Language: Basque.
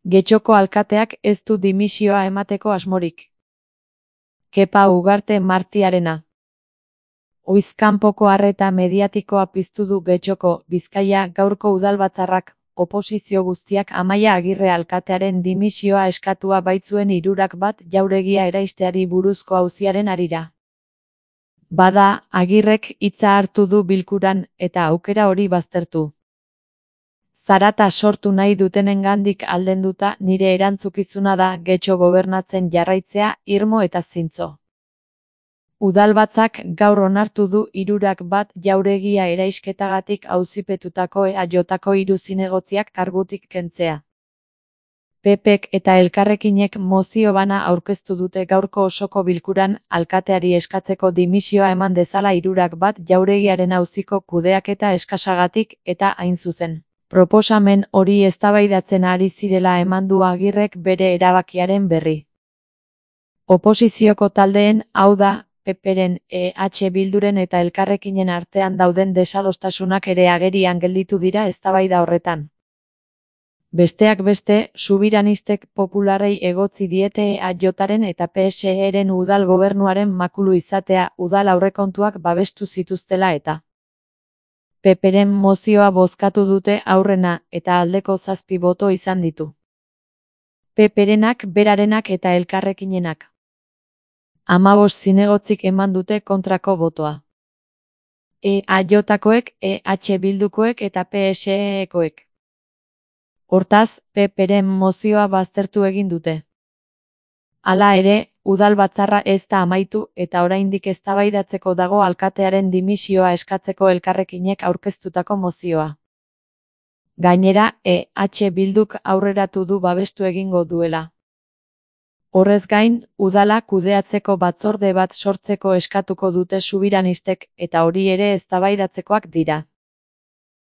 Getxoko alkateak ez du dimisioa emateko asmorik. Kepa Ugarte Martiarena. Oizkanpoko arreta mediatikoa piztu du Getxoko, Bizkaia gaurko udalbatzarrak, oposizio guztiak Amaia Agirre alkatearen dimisioa eskatua baitzuen 61 jauregia eraisteari buruzko auziaren harira. Bada, Agirrek hitza hartu du bilkuran eta aukera hori baztertu. Zarata sortu nahi dutenengandik aldenduta nire erantzukizuna da Getxo gobernatzen jarraitzea irmo eta zintzo. Udalbatzak gaur onartu du 61 jauregia eraisketagatik auzipetutako EAJko 3 zinegotziak kargutik kentzea. PPek eta Elkarrekinek mozio bana aurkeztu dute gaurko osoko bilkuran alkateari eskatzeko dimisioa eman dezala 61 jauregiaren auziko kudeaketa eskasagatik eta hain zuzen. Proposamen hori eztabaidatzen ari zirela eman du Agirrek bere erabakiaren berri. Oposizioko taldeen, hau da, PPren, EH Bilduren eta Elkarrekinen artean dauden desadostasunak ere agerian gelditu dira eztabaida horretan. Besteak beste, subiranistek popularrei egotzi diete EAJren eta PSEren udal gobernuaren makulu izatea udal aurrekontuak babestu zituztela eta. PPren mozioa bozkatu dute aurrena eta aldeko 7 boto izan ditu. PPrenak, berarenak eta Elkarrekinenak. 15 zinegotzik eman dute kontrako botoa. EAJkoek, EH Bildukoek eta PSEkoek. Hortaz, PPren mozioa baztertu egin dute. Hala ere, udalbatzarra ez da amaitu eta oraindik eztabaidatzeko dago alkatearen dimisioa eskatzeko Elkarrekinek aurkeztutako mozioa. Gainera, EH Bilduk aurreratu du babestu egingo duela. Horrez gain, udala kudeatzeko batzorde bat sortzeko eskatuko dute subiranistek eta hori ere eztabaidatzekoak dira.